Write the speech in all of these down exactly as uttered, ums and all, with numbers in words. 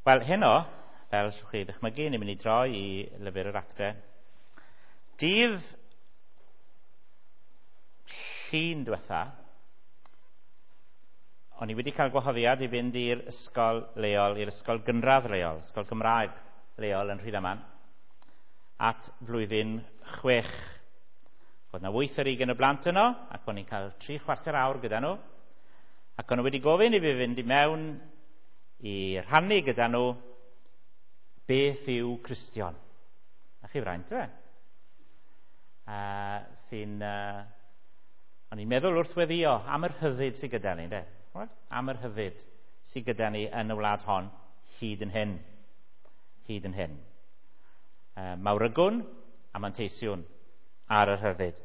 Wel, heno, fel allwch chi ddychmygu, ni'n mynd i droi i lyfr yr actau. Dydd Llun diwetha, o'n i wedi cael gwahoddiad i fynd i'r ysgol leol, i'r ysgol gynradd leol, ysgol Gymraeg leol yn Rhydaman, at flwyddyn chwech. Oedd na wyth ar ugain o blant yno, ac o'n i'n cael tri chwarter awr gyda nhw. Ac o'n nhw wedi gofyn i fi fynd i mewn i rhannu gyda nhw beth yw Cristion. Na chi fraint, yw e? Uh, sy'n... Uh, o'n i'n meddwl wrth weddio am yr hyfyd sydd gyda ni, de? Am yr hyfyd sydd gyda ni yn y wlad hon hyd yn hyn. Hyd yn hyn. Uh, mawrygwn a manteisiwn ar yr hyfyd.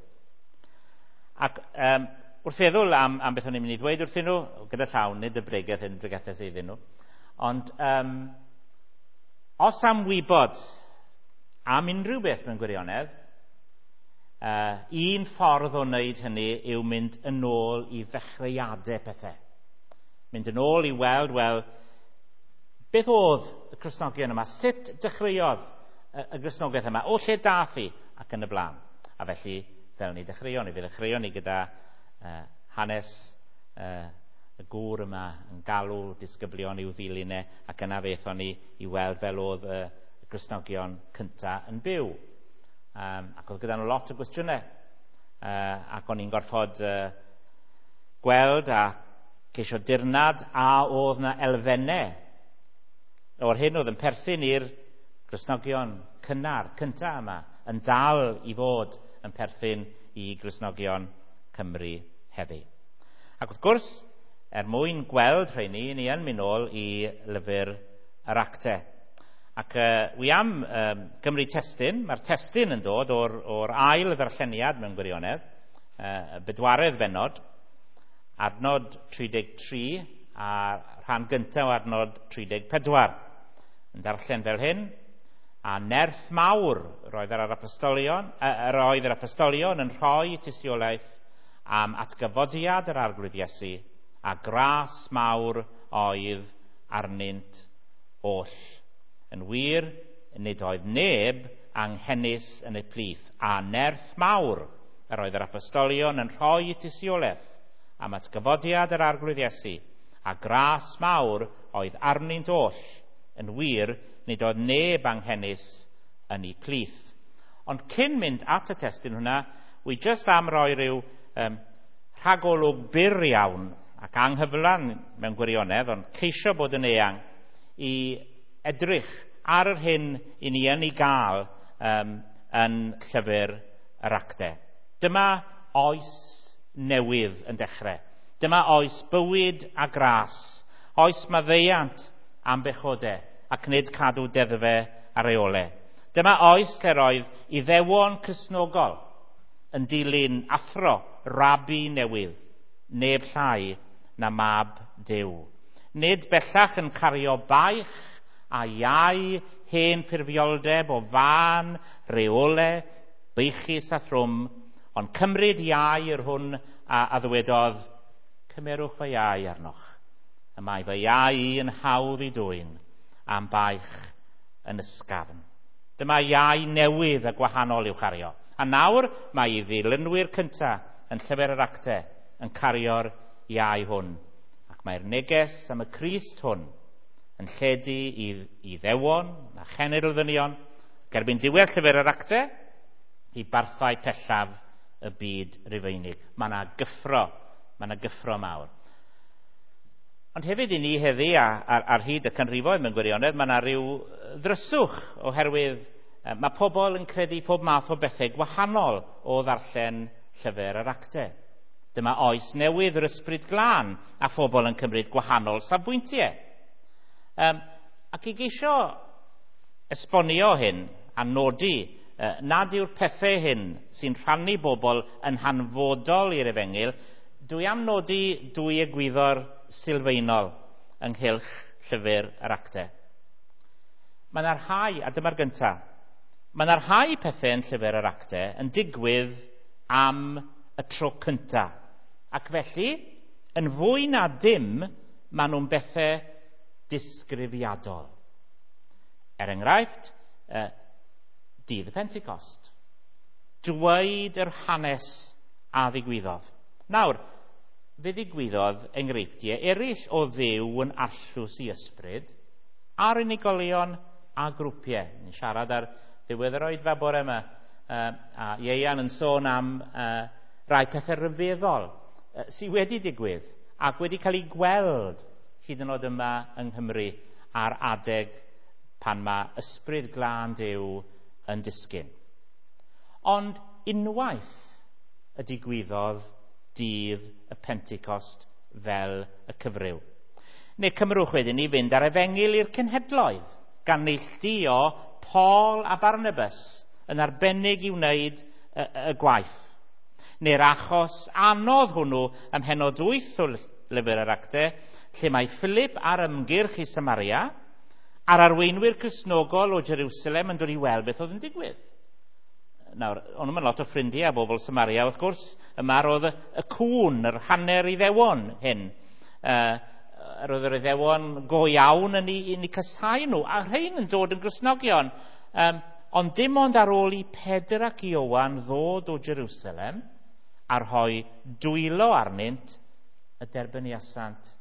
Ac um, wrth feddwl am, am beth o'n i'n mynd i ddweud wrthyn nhw, gyda llawn, nid y bregeth hyn, bregethau iddyn nhw, ond um, os am wybod am unrhyw beth mewn gwirionedd, uh, un ffordd o wneud hynny yw mynd yn ôl i ddechreuadau pethau. Mynd yn ôl i weld, wel, beth oedd y Cristnogion yma? Sut dechreuodd y, y Gristnogaeth yma? O lle dath hi? Ac yn y blaen. A felly, fel ni dechreuon ni, fe ddechreuon ni gyda uh, hanes uh, y gŵr yma yn galw disgyblion i'w ddilyn e, ac yna fe aethon ni i weld fel oedd y, y Gristnogion cynta yn byw. Um, ac oedd gyda nhw lot o gwestiynau. Uh, ac o'n i'n gorfod uh, gweld a ceisio dirnad a oedd na elfennau o'r hyn oedd yn perthyn i'r Gristnogion cynnar, cynta yma, yn dal i fod yn perthyn i Gristnogion Cymru heddi. Ac wrth gwrs, er mwyn gweld rheini, ni yn mynd nôl i lyfr yr actau. Ac uh, wi am um, gymryd testun, mae'r testun yn dod o'r, o'r ail ddarlleniad mewn gwirionedd, uh, y bedwaredd bennod, adnod tri deg tri a rhan gyntaf o adnod tri deg pedwar. Yn darllen fel hyn, a nerth mawr roedd yr apostolion, yr oedd yr apostolion yn rhoi tystiolaeth am atgyfodiad yr Arglwydd Iesu, a gras mawr oedd arnynt oll. Yn wir, nid oedd neb anghenus yn y plith, a nerth mawr yr oedd yr apostolion yn rhoi tystiolaeth am atgyfodiad yr Arglwydd Iesu, a gras mawr oedd arnynt oll. Yn wir, nid oedd neb anghenus yn ei plith. Ond cyn mynd at y testun hwnna, wi jyst am roi rhyw um, rhagolwg byr iawn ac anghyflan mewn gwirionedd, ond ceisio bod yn eang i edrych ar yr hyn i ni yn ei gael um, yn llyfr yr actau. Dyma oes newydd yn dechrau. Dyma oes bywyd a gras, oes maddeuant am bechodau ac nid cadw deddfau a reolau. Dyma oes lle roedd Iddewon Cristnogol yn dilyn athro rabi newydd, neb llai na mab Duw. Nid bellach yn cario baich a iau hen ffurfioldeb o fân, reolau, beichus a thrwm, ond cymryd iau yr hwn a, a ddywedodd, cymerwch fy iau arnoch. Y mae fy iau i yn hawdd i dwyn, am baich yn ysgafn. Dyma iau newydd a gwahanol i'w chario. A nawr mae ei ddilynwyr cyntaf yn llyfr yr actau yn cario'r iau hwn. Ac mae'r neges am y Crist hwn yn lledu i, i ddewon a chenedl ddynion, gerbyn diwedd llyfr yr actau, i barthau pellaf y byd Rufeinig. Mae yna gyffro, mae yna gyffro mawr. Ond hefyd i ni heddi, a, ar, ar hyd y canrifoedd mewn gwirionedd, mae yna rhyw ddryswch oherwydd mae pobl yn credu pob math o bethau gwahanol o ddarllen llyfr yr actau. Dyma oes newydd yr ysbryd glân a phobl yn cymryd gwahanol safbwyntiau. Um, ac i geisio esbonio hyn a nodi uh, nad yw'r pethau hyn sy'n rhannu bobl yn hanfodol i'r efengyl, dwi am nodi dwy egwyddor sylfaenol ynghylch llyfr yr actau. Mae yna rhai, a dyma'r gyntaf, mae yna rhai pethau yn llyfr yr actau yn digwydd am y tro cyntaf. Ac felly, yn fwy na dim, maen nhw'n bethau disgrifiadol. Er enghraifft, uh, dydd y Pentecost. Dweud yr hanes a ddigwyddodd. Nawr, fe ddigwyddodd enghreifftiau eraill o Dduw yn arllwys i ysbryd ar unigolion a grwpiau. Ni'n siarad ar ddiwedd yr oedfa bore yma, uh, a Ieuan yn sôn am uh, rai pethau rhyfeddol uh, sydd wedi digwydd ac wedi cael ei gweld hyd yn oed yma yng Nghymru ar adeg pan mae ysbryd glân Duw yn disgyn. Ond unwaith y digwyddodd dydd y Pentecost fel y cyfryw. Neu cymrwch wedyn i fynd ar efengyl i'r cenhedloedd, gan neilltuo Paul a Barnabas yn arbennig i wneud y, y gwaith. Neu'r achos anodd hwnnw ym mhennod wyth o lyfr yr Actau, lle mae Philip ar ymgyrch i Samaria, a'r arweinwyr Cristnogol o Jerusalem yn dod i weld beth oedd yn digwydd. Nawr, o'n nhw'n lot o ffrindiau a bobl Samaria, wrth gwrs, yma roedd y, y cŵn, yr hanner Iddewon hyn. Uh, roedd yr Iddewon go iawn yn eu, yn eu casáu nhw, a rhain yn dod yn Gristnogion. Um, ond dim ond ar ôl i Pedr ac Ioan ddod o Jerusalem a rhoi dwylo arnynt, y derbyniasant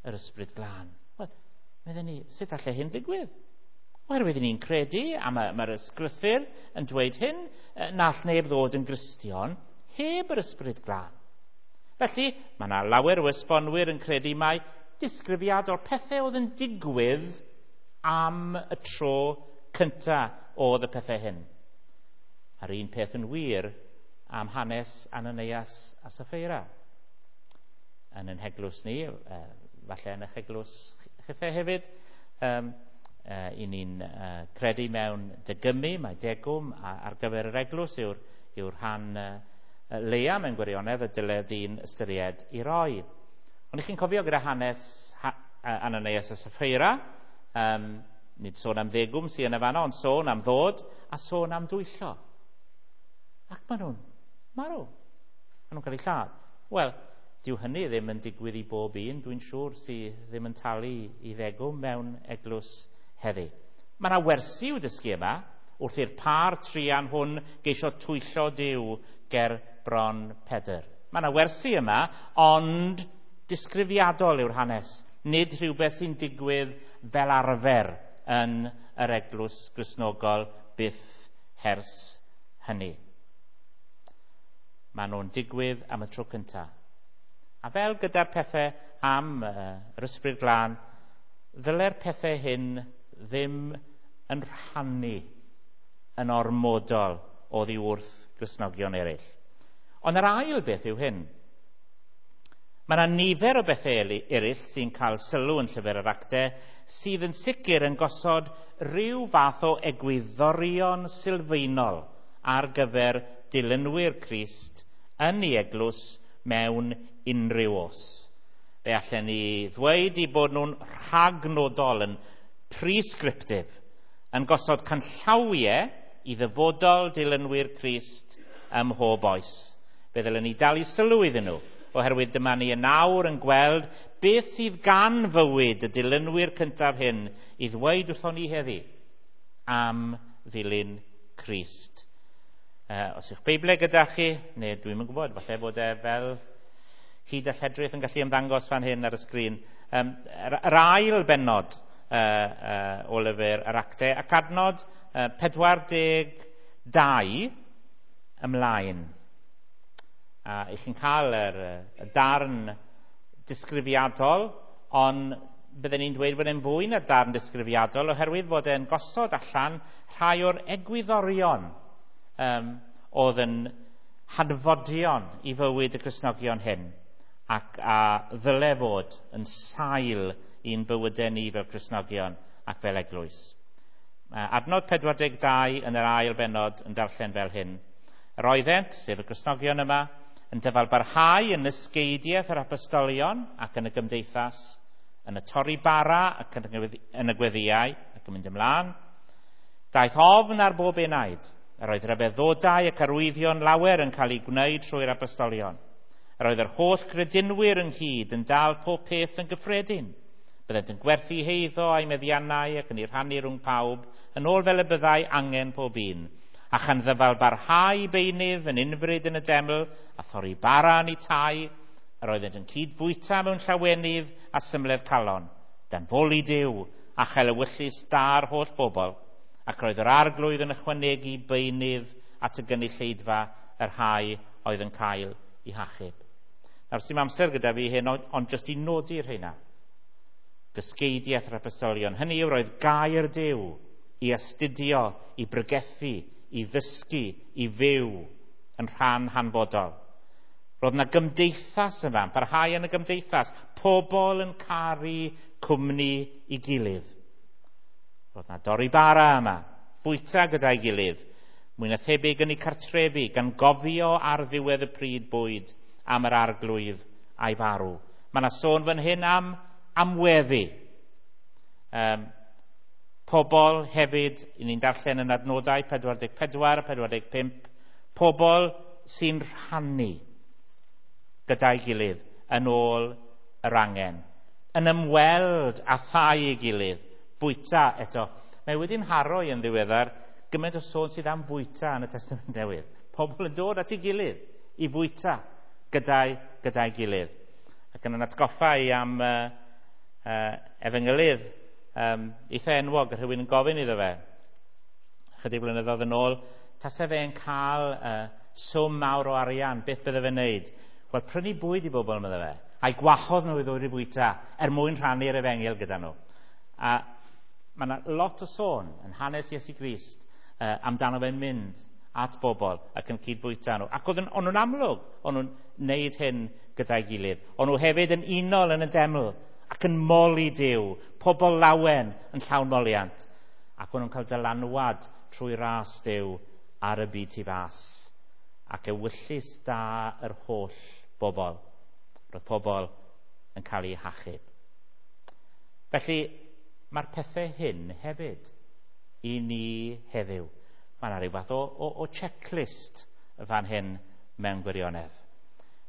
yr ysbryd glân. Wel, meddwn ni, sut allai hyn ddigwydd? Oherwydd ni'n credu, a mae'r mae ysgrythur yn dweud hyn, na all neb ddod yn Gristion heb yr ysbryd glân. Felly, mae yna lawer o esbonwyr yn credu mai disgrifiad o'r pethau oedd yn digwydd am y tro cyntaf oedd y pethau hyn. A'r un peth yn wir am hanes Ananias a Sapphira. Yn ein heglwys ni, falle yn eich eglwys chithau hefyd, um, uh, i ni'n uh, credu mewn degymu, mae degwm ar gyfer yr eglwys yw'r, yw'r rhan uh, leia mewn gwirionedd y dyle ddyn ystyried i roi. Ond i chi'n cofio gyda hanes ha, Ananias a Sapphira, um, nid sôn am ddegwm sydd yn y fanno, ond sôn am ddod a sôn am dwyllo. Ac maen nhw'n marw. Maen nhw'n cael eu lladd. Wel, dyw hynny ddim yn digwydd i bob un, dwi'n siŵr, sydd ddim yn talu i ddegwm mewn eglwys heddi. Mae yna wersi i'w dysgu yma, wrth i'r pâr truan hwn geisio twyllo Duw ger bron Pedr. Mae yna wersi yma, ond disgrifiadol yw'r hanes, nid rhywbeth sy'n digwydd fel arfer yn yr eglwys Gristnogol byth hers hynny. Maen nhw'n digwydd am y tro cyntaf. A fel gyda'r pethau am uh, yr ysbryd glân, ddyle'r pethau hyn ddim yn rhannu yn ormodol oddi wrth Gristnogion eraill. Ond yr ail beth yw hyn. Mae yna nifer o bethau eraill sy'n cael sylw yn llyfr yr Actau sydd yn sicr yn gosod rhyw fath o egwyddorion sylfaenol ar gyfer dilynwyr Crist yn ei eglwys mewn unrhyw os. Fe allen ni ddweud i bod nhw'n rhagnodol, yn prescriptive, yn gosod canllawiau i ddyfodol dilynwyr Crist ym mhob oes. Fe ddylen ni dalu sylw iddyn nhw, oherwydd dyma ni yn awr yn gweld beth sydd gan fywyd y dilynwyr cyntaf hyn i ddweud wrthon ni heddi am ddilyn Crist. Uh, os yw'ch Beiblau gyda chi, neu dwi'm yn gwybod, falle bod e fel hyd a lledrith yn gallu ymddangos fan hyn ar y sgrin. Um, yr, yr ail bennod uh, uh, o lyfr yr Actau ac adnod uh, pedwar deg dau ymlaen. A i chi'n cael yr, y darn disgrifiadol, ond bydden ni'n dweud bod e'n fwy na'r darn disgrifiadol oherwydd fod e'n gosod allan rhai o'r egwyddorion um, oedd yn hanfodion i fywyd y Cristnogion hyn ac a ddyle fod yn sail i'n bywydau ni fel Cristnogion ac fel eglwys. Adnod pedwar deg dau yn yr ail bennod yn darllen fel hyn. Yr oeddent, sef y Cristnogion yma, yn dyfalbarhau yn ysgeidiaeth yr apostolion ac yn y gymdeithas, yn y torri bara ac yn y gweddïau ac yn mynd ymlaen. Daeth ofn ar bob enaid. Yr oedd rhyfeddodau ac arwyddion lawer yn cael eu gwneud trwy'r apostolion. Yr oedd yr holl gredinwyr ynghyd yn dal pob peth yn gyffredin. Byddent yn gwerthu heiddo a'i meddiannau ac yn ei rhannu rhwng pawb, yn ôl fel y byddai angen pob un. A chan ddyfal barhau beunydd yn unfryd yn y deml, a thorri bara yn eu tai, yr oeddent yn cydfwyta mewn llawenydd a symledd calon, dan foli Duw a chael ewyllys da'r holl bobl, ac roedd yr arglwydd yn ychwanegu beunydd at y gynulleidfa yr rhai oedd yn cael eu hachub. Nawr, sy'm amser gyda fi hyn, ond, ond jyst i nodi'r rheina. Dysgeidiaeth yr apostolion. Hynny yw, roedd gair Duw i astudio, i bregethu, i ddysgu, i fyw yn rhan hanfodol. Roedd yna gymdeithas yma, yn parhau yn y gymdeithas, pobl yn caru cwmni i gilydd. Roedd yna dorri bara yma, bwyta gyda'i gilydd, mwy na thebyg yn eu cartrefi, gan gofio ar ddiwedd y pryd bwyd am yr arglwydd a'i farw. Mae yna sôn fan hyn am amweddi. Um, pobl hefyd, i ni'n darllen yn adnodau pedwar deg pedwar, pedwar deg pump, pobl sy'n rhannu gyda'i gilydd yn ôl yr angen, yn ymweld â thai ei gilydd, bwyta eto. Mae wedi'n haro i yn ddiweddar gymaint o sôn sydd am fwyta yn y Testament Newydd. Pobl yn dod at ei gilydd i fwyta gyda'i, gyda'i gilydd. Ac yn atgoffa i am uh, uh, efengylydd um, eitha enwog, rhywun yn gofyn iddo fe, chydig blynyddoedd yn ôl, tase fe'n cael uh, swm mawr o arian, beth bydde fe'n neud? Wel, prynu bwyd i bobl, medde fe, a'i gwahodd nhw i ddod i bwyta er mwyn rhannu'r efengyl gyda nhw. A mae yna lot o sôn yn hanes Iesu Grist uh, amdano fe'n mynd at bobl ac yn cydfwyta nhw. Ac oedd o'n nhw'n amlwg, o'n nhw'n neud hyn gyda'i gilydd. O'n nhw hefyd yn unol yn y deml ac yn moli Duw, pobl lawen yn llawn moliant. Ac o'n nhw'n cael dylanwad trwy ras Duw ar y byd tu fas. Ac ewyllys da yr holl bobl. Roedd pobl yn cael eu hachub. Felly, mae'r pethau hyn hefyd i ni heddiw. Mae yna rhyw fath o, o, o checklist fan hyn mewn gwirionedd.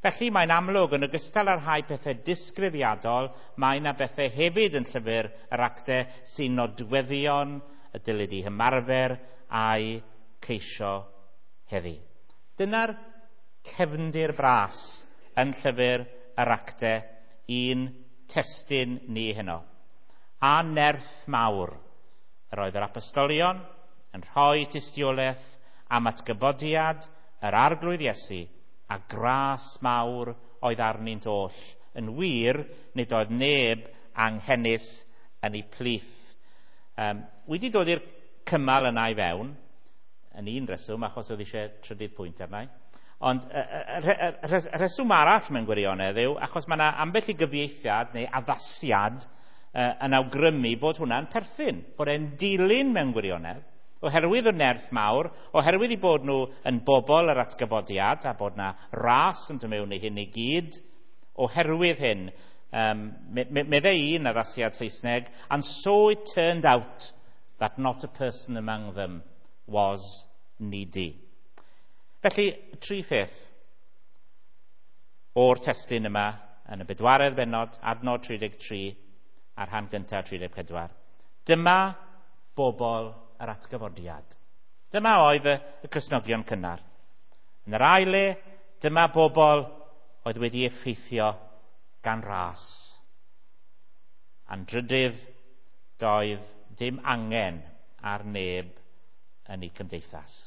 Felly mae'n amlwg, yn ogystal â'r rhai pethau disgrifiadol, mae yna bethau hefyd yn llyfr yr actau sy'n nodweddion y dylid eu hymarfer a'i ceisio heddi. Dyna'r cefndir bras yn llyfr yr actau i'n testun ni heno. A nerth mawr yr oedd yr apostolion yn rhoi tystiolaeth am atgyfodiad yr arglwydd Iesu, a gras mawr oedd arnynt oll. Yn wir, nid oedd neb anghenus yn eu plith. Um, wedi dod i'r cymal yna i fewn, yn un reswm, achos oedd eisiau trydydd pwynt arna i. Ond y, y, y, y rheswm arall mewn gwirionedd yw, achos mae yna ambell i gyfieithiad neu addasiad uh, yn awgrymu bod hwnna'n perthyn, bod e'n dilyn mewn gwirionedd, oherwydd y nerth mawr, oherwydd i bod nhw yn bobl yr atgyfodiad a bod na ras yn dod mewn i hyn i gyd, oherwydd hyn, um, meddai un addasiad Saesneg, and so it turned out that not a person among them was needy. Felly, tri pheth o'r testun yma yn y bedwaredd bennod, adnod tri deg tri a'r rhan gyntaf tri deg pedwar. Dyma bobl yr atgyfodiad. Dyma oedd y, y Cristnogion cynnar. Yn yr ail le, dyma bobl oedd wedi effeithio gan ras. A'n drydydd, doedd dim angen ar neb yn eu cymdeithas.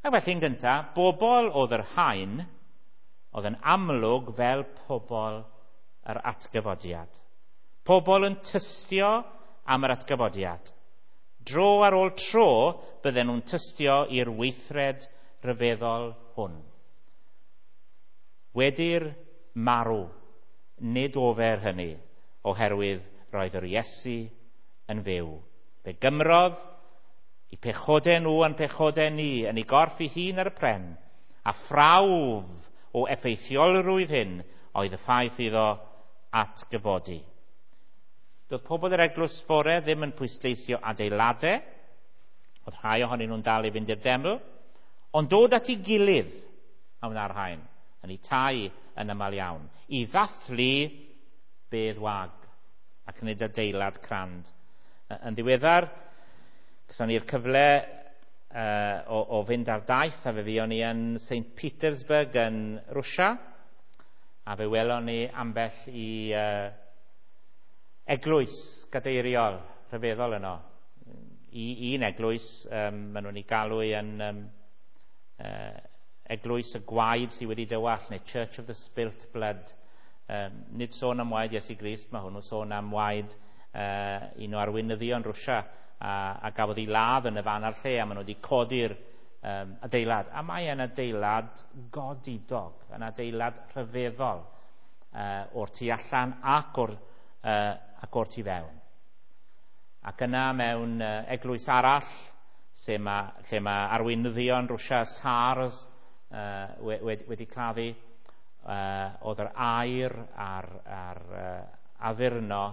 Ac felly yn gyntaf, bobl oedd yr haen oedd yn amlwg fel pobl yr atgyfodiad. Pobl yn tystio am yr atgyfodiad. Dro ar ôl tro bydden nhw'n tystio i'r weithred ryfeddol hwn. Wedi'r marw, nid ofer hynny, oherwydd roedd yr Iesu yn fyw. Fe gymrodd i pechodau nhw a'n pechodau ni yn ei gorff ei hun ar y pren, a phrawf o effeithiolrwydd hyn oedd y ffaith iddo atgyfodi. Doedd pobl yr eglwys fore ddim yn pwysleisio adeiladau, oedd rhai ohonyn nhw'n dal i fynd i'r deml, ond dod at ei gilydd a wna'r rhain, yn eu tai yn aml iawn, i ddathlu bedd wag. ac nid adeilad crand. Yn ddiweddar, gyson ni'r cyfle uh, o, o fynd ar daith, a fe fuon ni yn Saint Petersburg yn Rwsia, a fe welon ni ambell i uh, eglwys gadeiriol rhyfeddol yno. I, un eglwys, um, maen nhw'n ei galw yn um, uh, eglwys y gwaed sydd wedi dywallt, neu Church of the Spilt Blood. Um, nid sôn am waed Iesu Grist, mae hwnnw sôn am waed uh, un o arweinyddion Rwsia a, a gafodd ei ladd yn y fan a'r lle, a maen nhw wedi codi'r um, adeilad. A mae e'n adeilad godidog, yn adeilad rhyfeddol uh, o'r tu allan ac o'r, uh, ac o'r tu fewn. Ac yna mewn uh, eglwys arall, lle mae, lle mae arweinyddion Rwsia, SARS, uh, wedi, wedi claddu, uh, oedd yr aer a'r, a'r uh, addurno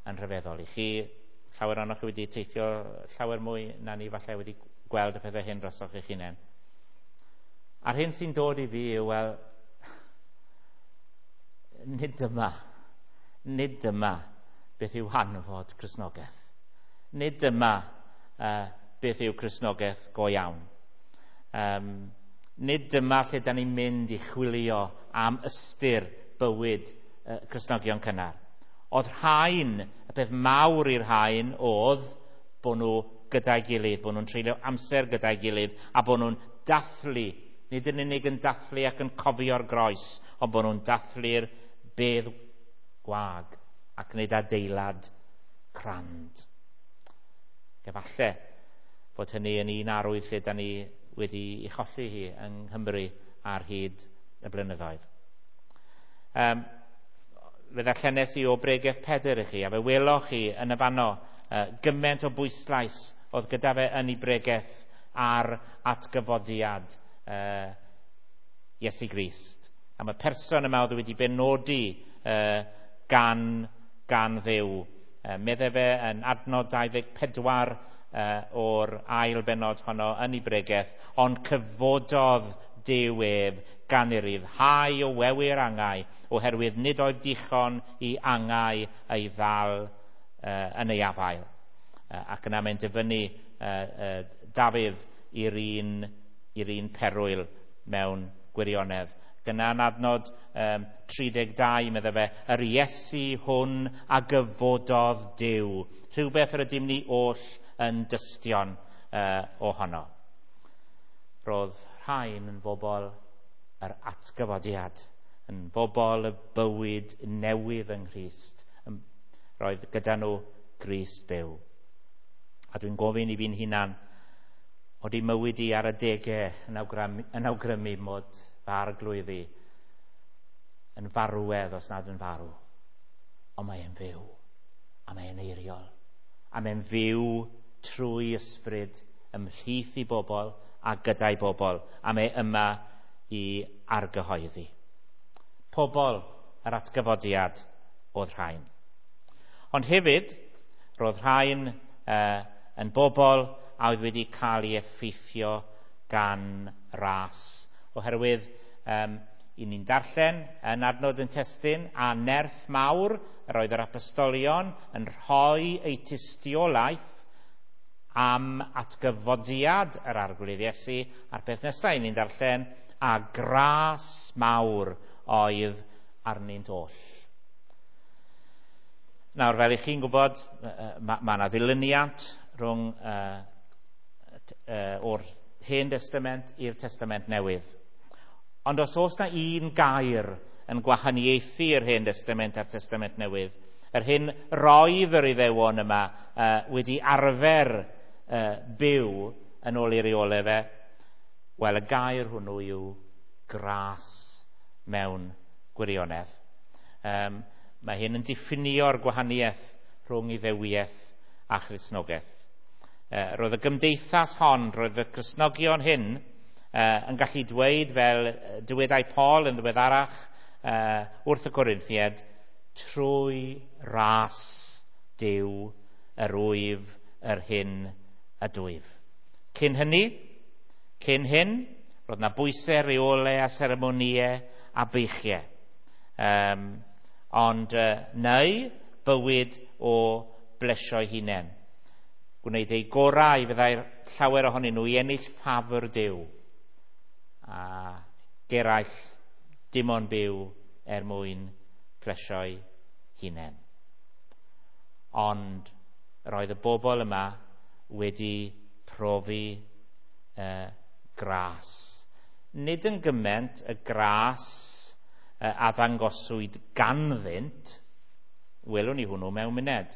yn rhyfeddol. I chi, llawer ohonoch chi wedi teithio llawer mwy na ni falle wedi gweld y pethau hyn drosoch eich hunain. A'r hyn sy'n dod i fi yw, wel, nid dyma, nid dyma beth yw hanfod Cristnogaeth. Nid dyma uh, beth yw Cristnogaeth go iawn. Um, nid dyma lle da ni'n mynd i chwilio am ystyr bywyd uh, Cristnogion cynnar. Oedd rhain, y peth mawr i'r rhain oedd bod nhw gyda'i gilydd, bod nhw'n treulio amser gyda'i gilydd, a bod nhw'n dathlu, nid yn unig yn dathlu ac yn cofio'r groes, ond bod nhw'n dathlu'r bedd gwag ac nid adeilad crand. Efallai bod hynny yn un arwydd lle da ni wedi ei cholli hi yng Nghymru ar hyd y blynyddoedd. Um, fe ddarllenes i o bregeth Pedr i chi, a fe weloch chi yn y fanno uh, gymaint o bwyslais oedd gyda fe yn ei bregeth ar atgyfodiad uh, Iesu Grist. Am y person yma oedd wedi benodi uh, gan, gan Dduw. Uh, medde fe yn adnod dau ddeg pedwar uh, o'r ail bennod honno yn ei bregeth, ond cyfododd Duw ef gan ei ryddhau o wewyr angau, oherwydd nid oedd dichon i angau ei ddal uh, yn ei afael. Uh, ac yna mae'n dyfynnu uh, uh, Dafydd i'r un, i'r un perwyl mewn gwirionedd. Gyna yn adnod um, tri deg dau, medde fe, yr Iesu hwn a gyfododd Duw. Rhywbeth yr ydym ni oll yn dystion uh, ohono. Roedd rhain yn bobl yr atgyfodiad, yn bobl y bywyd newydd yng Nghrist. Roedd gyda nhw Grist byw. A dwi'n gofyn i fi'n hunan, oeddi mywyd i ar adegau yn awgrymu, yn awgrymu mod fy arglwydd i yn farwedd os nad yn farw. Ond mae e'n fyw, a mae e'n eiriol, a mae'n fyw trwy ysbryd ymhlith i bobl a gyda'i bobl, a mae yma i argyhoeddi. Pobl yr atgyfodiad oedd rhain. Ond hefyd, roedd rhain uh, yn bobl a oedd wedi cael ei effeithio gan ras. Oherwydd, um, i ni'n darllen yn adnod yn testun, a nerth mawr yr oedd yr apostolion yn rhoi eu tystiolaeth am atgyfodiad yr Arglwydd Iesu, a'r peth nesaf i ni'n darllen, a gras mawr oedd arnynt oll. Nawr, fel i chi'n gwybod, mae yna ddilyniant rhwng uh, uh, o'r Hen Testament i'r Testament Newydd. Ond os oes na un gair yn gwahaniaethu yr Hen Testament a'r Testament Newydd, yr hyn roedd yr Iddewon yma uh, wedi arfer uh, byw yn ôl ei reolau fe, wel, y gair hwnnw yw gras mewn gwirionedd. Um, mae hyn yn diffinio'r gwahaniaeth rhwng Iddewiaeth a Christnogaeth. Uh, roedd y gymdeithas hon, roedd y Cristnogion hyn uh, yn gallu dweud, fel dywedai Paul yn ddiweddarach uh, wrth y Corinthiaid, trwy ras Duw yr wyf yr hyn ydwyf. Cyn hynny, cyn hyn, roedd na bwysau, reolau a seremonïau a beichiau. Um, ond uh, neu bywyd o blesio'i hunain. Gwneud eu gorau fyddai'r llawer ohonyn nhw i ennill ffafr Duw. A geraill dim ond byw er mwyn plesio'i hunain. Ond roedd y bobl yma wedi profi uh, gras. Nid yn gymaint y gras uh, a ddangoswyd ganddynt, welwn ni hwnnw mewn muned.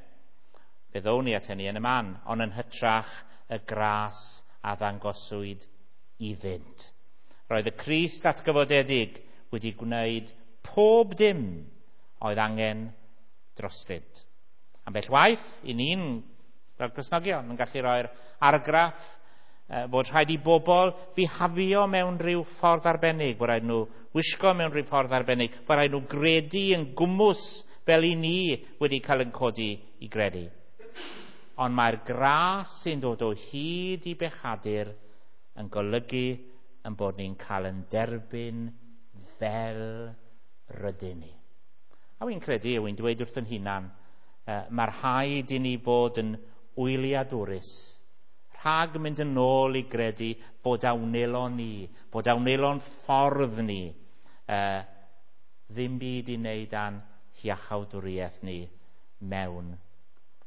Fe ddown ni at hynny yn y man, ond yn hytrach y gras a ddangoswyd iddynt. Roedd y Crist atgyfodedig wedi gwneud pob dim oedd angen drostynt. Ambell waith, i ni'n fel Cristnogion yn gallu rhoi'r argraff bod rhaid i bobl fihafio mewn rhyw ffordd arbennig, bod rhaid nhw wisgo mewn rhyw ffordd arbennig, bod rhaid nhw gredu yn gwmws fel i ni wedi cael yn codi i gredu. Ond mae'r gras sy'n dod o hyd i bechadur yn golygu yn bod ni'n cael yn derbyn fel rydyn ni. A wy'n credu, wy'n dweud wrth yn hunan, uh, mae'r rhaid i ni fod yn wyliadwrus rhag mynd yn ôl i gredu bod a wnelo ni, bod a wnelo'n ffordd ni, uh, ddim byd i wneud â'n hiachawdwriaeth ni mewn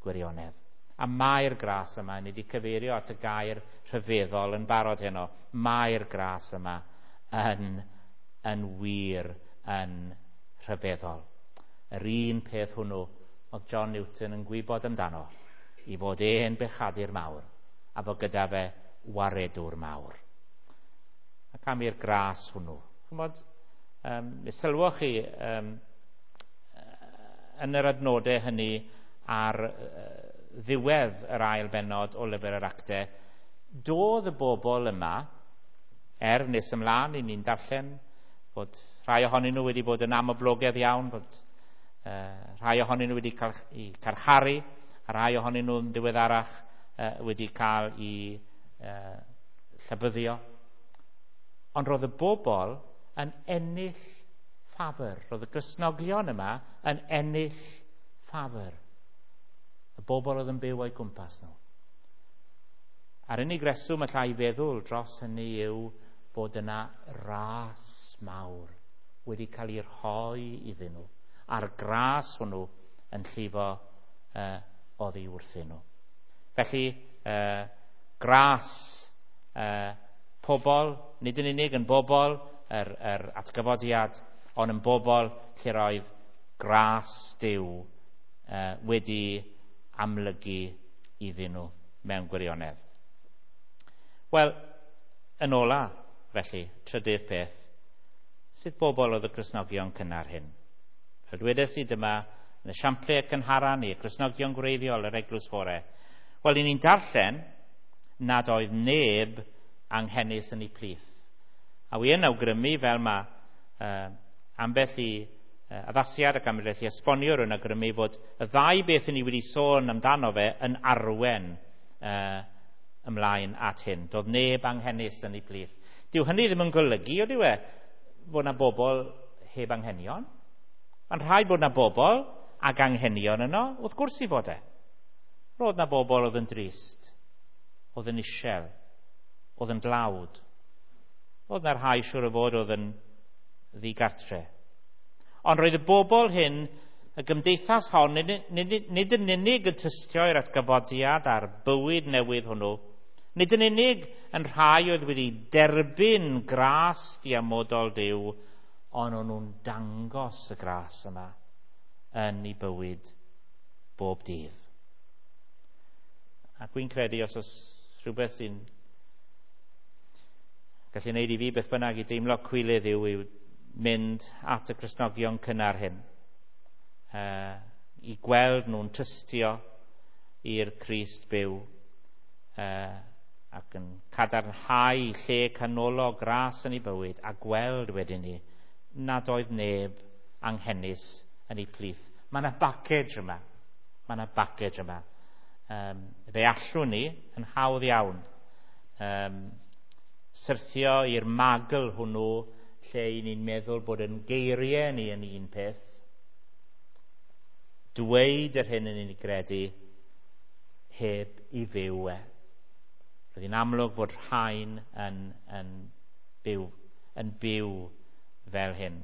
gwirionedd. A mae'r gras yma, ni wedi cyfeirio at y gair rhyfeddol yn barod heno, mae'r gras yma yn, yn wir yn rhyfeddol. Yr un peth hwnnw oedd John Newton yn gwybod amdano, i fod e'n bechadur mawr, a fod gyda fe waredwr mawr. Ac am i'r gras hwnnw. Chymod, um, mi sylwoch chi um, yn yr adnodau hynny ar uh, ddiwedd yr ail bennod o lyfr yr Actau, doedd y bobl yma, er nes ymlaen i ni'n darllen, bod rhai ohonyn nhw wedi bod yn amhoblogaidd iawn, bod uh, rhai ohonyn nhw wedi cael eu carcharu, a rhai ohonyn nhw'n ddiweddarach uh, wedi cael eu uh, llabyddio. Ond roedd y bobl yn ennill ffafr. Roedd y Cristnogion yma yn ennill ffafr. Y bobl oedd yn byw o'i gwmpas nhw. A'r unig reswm allai feddwl dros hynny yw bod yna ras mawr wedi cael ei rhoi iddyn nhw, a'r gras hwnnw yn llifo uh, oddi wrthyn nhw. Felly, uh, gras uh, pobl, nid yn unig yn bobl yr, yr atgyfodiad, ond yn bobl lle roedd gras Duw uh, wedi amlygu iddyn nhw mewn gwirionedd. Wel, yn ola, felly, trydydd peth, sut bobl oedd y Cristnogion cynnar hyn? Fel dwedes i dyma, yn y siample cynhara ni, y Cristnogion gwreiddiol yr eglwys fore. Wel, i ni'n darllen nad oedd neb anghenus yn ei plith. A wi yn awgrymu fel mae uh, ambell i uh, addasiad ac ambell i esboniwr yn awgrymu fod y ddau beth ni wedi sôn amdano fe yn arwen uh, ymlaen at hyn. Doedd neb anghenus yn ei plith. Dyw hynny ddim yn golygu, ydyw e, bod yna bobl heb anghenion. Mae'n rhaid bod yna bobl ag anghenion yno, wrth gwrs i fod e. Roedd yna bobl oedd yn drist, oedd yn isel, oedd yn dlawd. Roedd yna rhai siŵr o fod oedd yn ddigartre. Ond roedd y bobl hyn, y gymdeithas hon, nid, nid, nid yn unig yn tystio i'r atgyfodiad a'r bywyd newydd hwnnw, nid yn unig yn rhai oedd wedi derbyn gras diamodol Duw, ond o'n nhw'n dangos y gras yma yn ei bywyd bob dydd. Ac wy'n credu os oes rhywbeth sy'n gallu gwneud i fi beth bynnag i deimlo cwilydd yw yw mynd at y Cristnogion cynnar hyn, uh, i gweld nhw'n tystio i'r Crist byw, uh, ac yn cadarnhau lle canolog gras yn ei bywyd, a gweld wedyn ni nad oedd neb anghenus yn ei plith. Mae yna backage yma. Mae yna backage yma. Um, fe allwn ni yn hawdd iawn um, syrthio i'r magl hwnnw lle i ni'n meddwl bod yn geiriau ni yn un peth dweud yr hyn yn ni'n gredu heb i fyw e. Roedd hi'n amlwg fod rhain yn, yn, byw, yn byw fel hyn.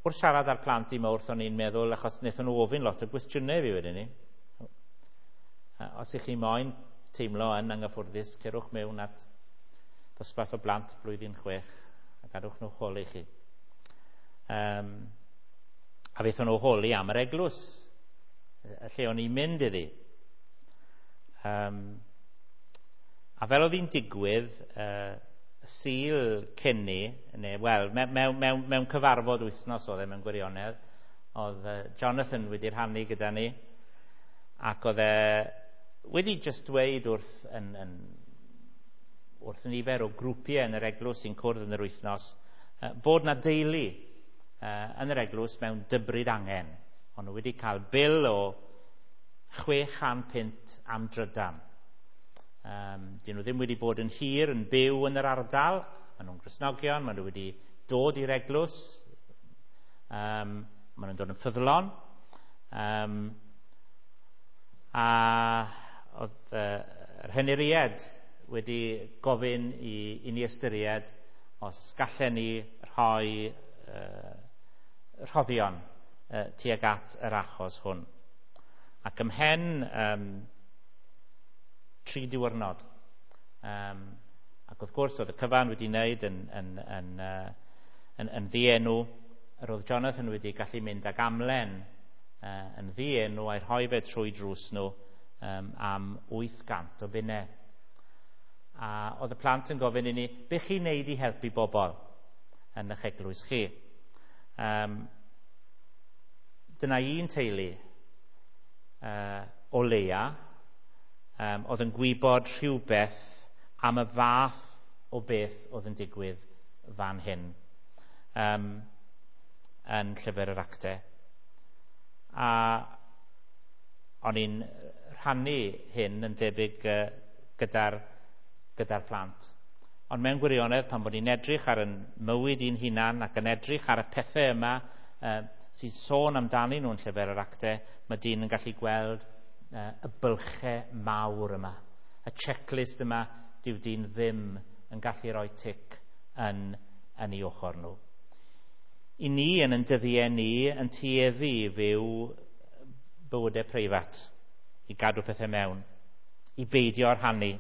Wrth siarad â'r plant i Mawrth, o'n i'n meddwl, achos wnaethon nhw ofyn lot o gwestiynau fi wedyn ni. Os ych chi moyn teimlo yn anghyffwrddus, cerwch mewn at ddosbarth o blant blwyddyn chwech a gadwch nhw holi chi. Um, a wnaethon nhw holi am yr eglwys, y lle o'n i'n mynd iddi. Um, a fel oedd hi'n digwydd, uh, Sul cyn ni, neu, wel, mewn, mewn, mewn, mewn cyfarfod wythnos oedd e mewn gwirionedd, oedd Jonathan wedi rhannu gyda ni, ac oedd e wedi just dweud wrth, yn, yn, wrth nifer o grwpiau yn yr eglwys sy'n cwrdd yn yr wythnos, bod na deulu yn yr eglwys mewn dybryd angen. O'n nhw wedi cael bil o chwe chan punt am drydan. Um, dyn nhw ddim wedi bod yn hir yn byw yn yr ardal. Maen nhw'n Gristnogion, maen nhw wedi dod i'r eglwys, um, maen nhw'n dod yn ffyddlon. Um, a oedd uh, yr henuried wedi gofyn i, i ni ystyried os gallen ni rhoi uh, rhoddion uh, tuag at yr achos hwn. Ac ymhen um, tri diwrnod. Um, ac wrth gwrs oedd y cyfan wedi wneud yn, yn, yn, uh, yn, yn ddienw. Yr oedd Jonathan wedi gallu mynd ag amlen uh, yn ddienw a'i rhoi fe trwy drws nhw um, am wyth gant o bunnau. A oedd y plant yn gofyn i ni, be chi'n neud i helpu bobl yn eich eglwys chi? Um, dyna un teulu uh, o leia um, oedd yn gwybod rhywbeth am y fath o beth oedd yn digwydd fan hyn um, yn llyfr yr Actau. A o'n i'n rhannu hyn yn debyg uh, gyda'r gyda'r plant. Ond mewn gwirionedd, pan bod ni'n edrych ar yn mywyd i'n hunan ac yn edrych ar y pethau yma uh, sy'n sôn amdanyn nhw'n llyfr yr Actau, mae dyn yn gallu gweld uh, y bylchau mawr yma. Y checklist yma, dyw dyn ddim yn gallu rhoi tic yn, yn ei ochr nhw. I ni yn yn dyddiau ni yn tueddu i fyw bywydau preifat, i gadw pethau mewn, i beidio rhannu.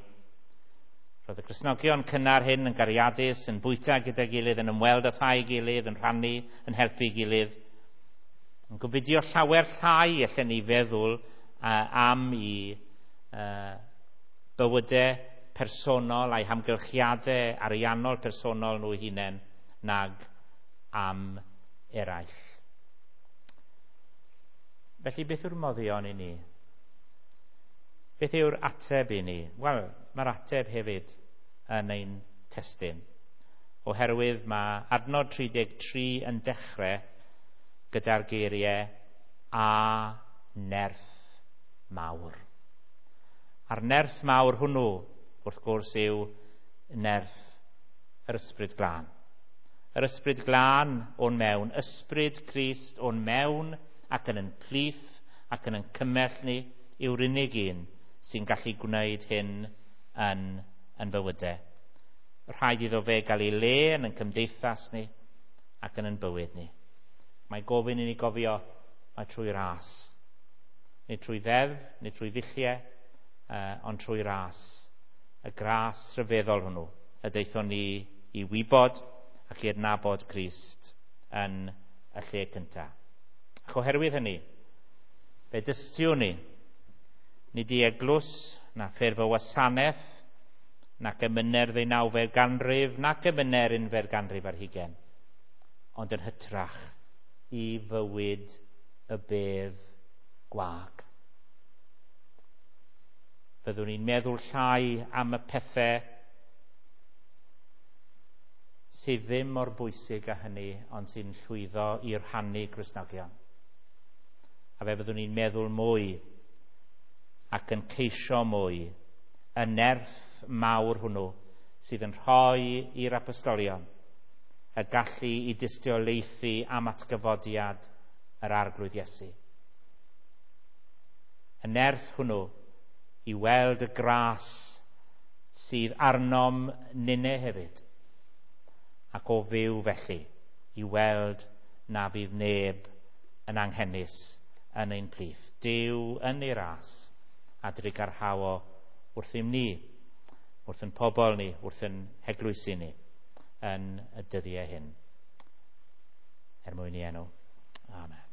Roedd y Cristnogion cynnar hyn yn gariadus, yn bwyta gyda'i gilydd, yn ymweld â thai gilydd, yn rhannu, yn helpu gilydd. Yn gofidio llawer llai allan ni feddwl uh, am i uh, bywydau personol a'i hamgylchiadau ariannol personol nhw hunain nag am eraill. Felly beth yw'r moddion i ni? Beth yw'r ateb i ni? Wel, mae'r ateb hefyd yn ein testun. Oherwydd mae adnod tri deg tri yn dechrau gyda'r geiriau a nerth mawr. A'r nerth mawr hwnnw, wrth gwrs, yw nerth yr Ysbryd Glân. Yr Ysbryd Glân o'n mewn, Ysbryd Crist o'n mewn ac yn yn plith ac yn yn cymell ni yw'r unig un sy'n gallu gwneud hyn yn, yn bywydau. Rhaid iddo fe gael ei le yn yn cymdeithas ni ac yn yn bywyd ni. Mae gofyn i ni gofio mae trwy ras. Nid trwy ddeddf, nid trwy ddulliau, uh, ond trwy ras. Y gras rhyfeddol hwnnw y daethon ni i wybod ac i adnabod Crist yn y lle cyntaf. Ac oherwydd hynny, fe dystiwn ni, nid i eglwys, na ffurf o wasanaeth, nac emynau'r ddeunawfed ganrif, nac emynau'r unfed ganrif ar hugain, ond yn hytrach i fywyd y bedd gwag. Fyddwn ni'n meddwl llai am y pethau sydd ddim mor bwysig â hynny, ond sy'n llwyddo i rhannu Cristnogion. A fe fyddwn ni'n meddwl mwy ac yn ceisio mwy y nerth mawr hwnnw sydd yn rhoi i'r apostolion y gallu i dystiolaethu am atgyfodiad yr Arglwydd Iesu. Y nerth hwnnw i weld y gras sydd arnom ninne hefyd, ac o fyw felly i weld na fydd neb yn anghenus yn ein plith. Duw yn ei ras a drugarhao wrthym ni, wrth yn pobl ni, wrth yn heglwysi ni yn y dyddiau hyn. Er mwyn ei enw. Amen.